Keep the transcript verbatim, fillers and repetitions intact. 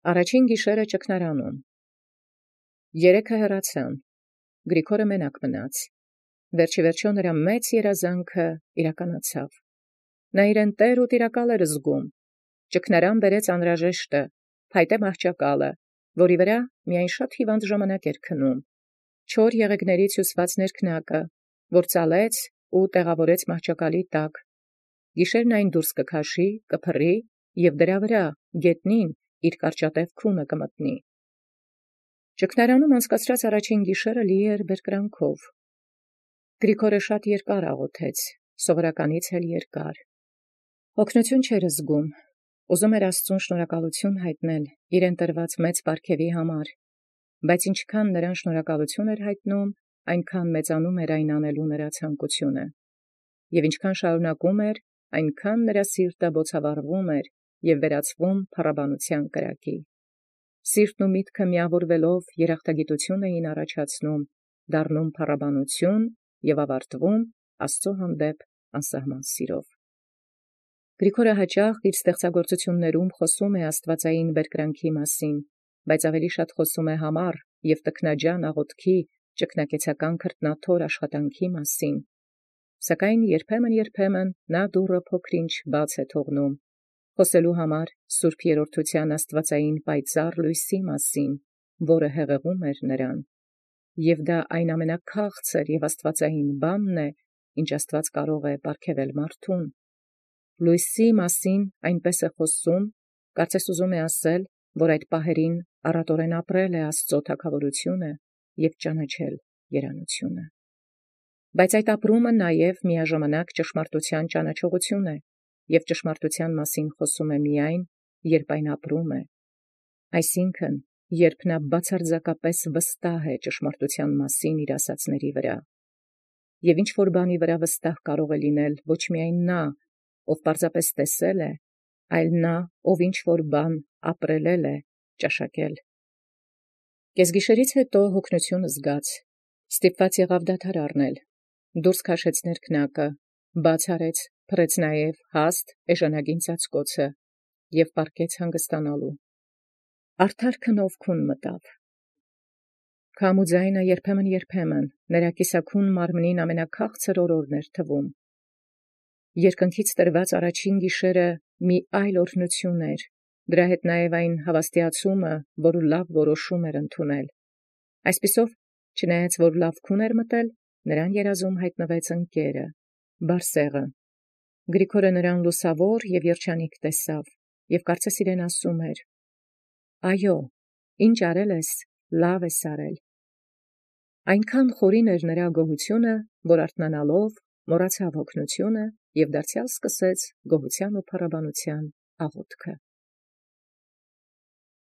Առաջին գիշերը ճգնարանում։ Երեքը հեռացան, Գրիգորը մենակ մնաց։ Վերջի վերջո նրա մեծ երազանքը իրականացավ։ Նա իրեն տեր ու տիրակալ էր զգում։ Ճգնարան բերեց անհրաժեշտը, փայտե մահճակալը, որի վրա միայն շատ հիվանդ ժամանակ էր քնում, չոր եղեգներից հյուսված ներքնակը, որ ծալեց ու տեղավորեց մահճակալի տակ։ Գիշերն այն դուրս կքաշի, կփռի և դրա վրա գետնին իր կարճատև քունը կմտնի։ Ճգնարանում անցկացրած առաջին գիշերը լի էր բերկրանքով։ Գրիգորը շատ երկար աղոթեց, սովորականից էլ երկար։ Օգնություն չէր զգում, ուզում էր Աստծուն շնորհակալություն հայտնել իրեն տրված մեծ պարգևի համար, բայց ինչքան նրան շնորհակալություն էր հայտնում, այնքան մեծանում էր այն անելու նրա ցանկությունը, և ինչքան շարունակում էր, այնքան նրա սիրտը բոցավառվում էր և վերածվում փառաբանության կրակի։ Սիրտն ու միտքը միավորվելով երախտագիտություն էին առաջացնում, դառնում փառաբանություն և ավարտվում Աստծո հանդեպ անսահման սիրով։ Գրիգորը հաճախ իր ստեղծագործություններում խոսում է աստվածային բերկրանքի մասին, բայց ավելի շատ խոսում է համառ և տքնաջան աղոթքի, ճգնակեցական քրտնաթոր աշխատանքի մասին։ Սակայն երբեմն-երբեմն նա դուռը փոքր-ինչ բաց է թողնում, խոսելու համար սուրբ երրորդության աստվածային պայծառ լույսի մասին, որը հեղեղում էր նրան, և դա այն ամենաքաղցր և աստվածային բանն է, ինչ Աստված կարող է պարգևել մարդուն։ Լույսի մասին այնպես է խոսում, կարծես ուզում է ասել, որ այդ պահերին առատորեն ապրել է Աստծո թագավորությունը և ճանաչել երանությունը։ Բայց այդ ապրումը նաև միաժամանակ ճշմարտության ճանաչողություն է, և ճշմարտության մասին խոսում է միայն, երբ այն ապրում է, այսինքն, երբ նա բացարձակապես վստահ է ճշմարտության մասին իր ասացների վրա։ Եվ ինչ-որ բանի վրա վստահ կարող է լինել ոչ միայն նա, ով պարզապես տեսել է, այլ նա, ով ինչ-որ բան ապրելել է, ճաշակել։ Կեսգիշերից հետո հոգնություն զգաց, ստիպված եղավ դադար առնել, դուրս քաշեց ներքնակը, բաց արեց, փռեց նաև հաստ էժանագին ծածկոցը և պառկեց հանգստանալու։ Արդար քնով քուն մտավ։ Քամու ձայնը երբեմն-երբեմն նրա կիսաքուն մարմնին ամենաքաղցր օրորն էր թվում։ Երկնքից տրված առաջին գիշերը մի այլ օրհնություն էր, դրա հետ նաև այն հավաստիացումը, որ լավ որոշում էր ընդունել։ Այսպիսով, չնայած որ լավ քուն էր մտել, նրան երազում հայտնվեց ընկերը, Բարսեղը։ Գրիգորը նրան լուսավոր և երջանիկ տեսավ, և կարծես իրեն ասում էր. «Այո, ինչ արել ես, լավ ես արել»։ Այնքան խորին էր նրա գոհությունը, որ արթնանալով մոռացավ հոգնությունը և դարձյալ սկսեց գոհության ու փառաբանության աղոթքը։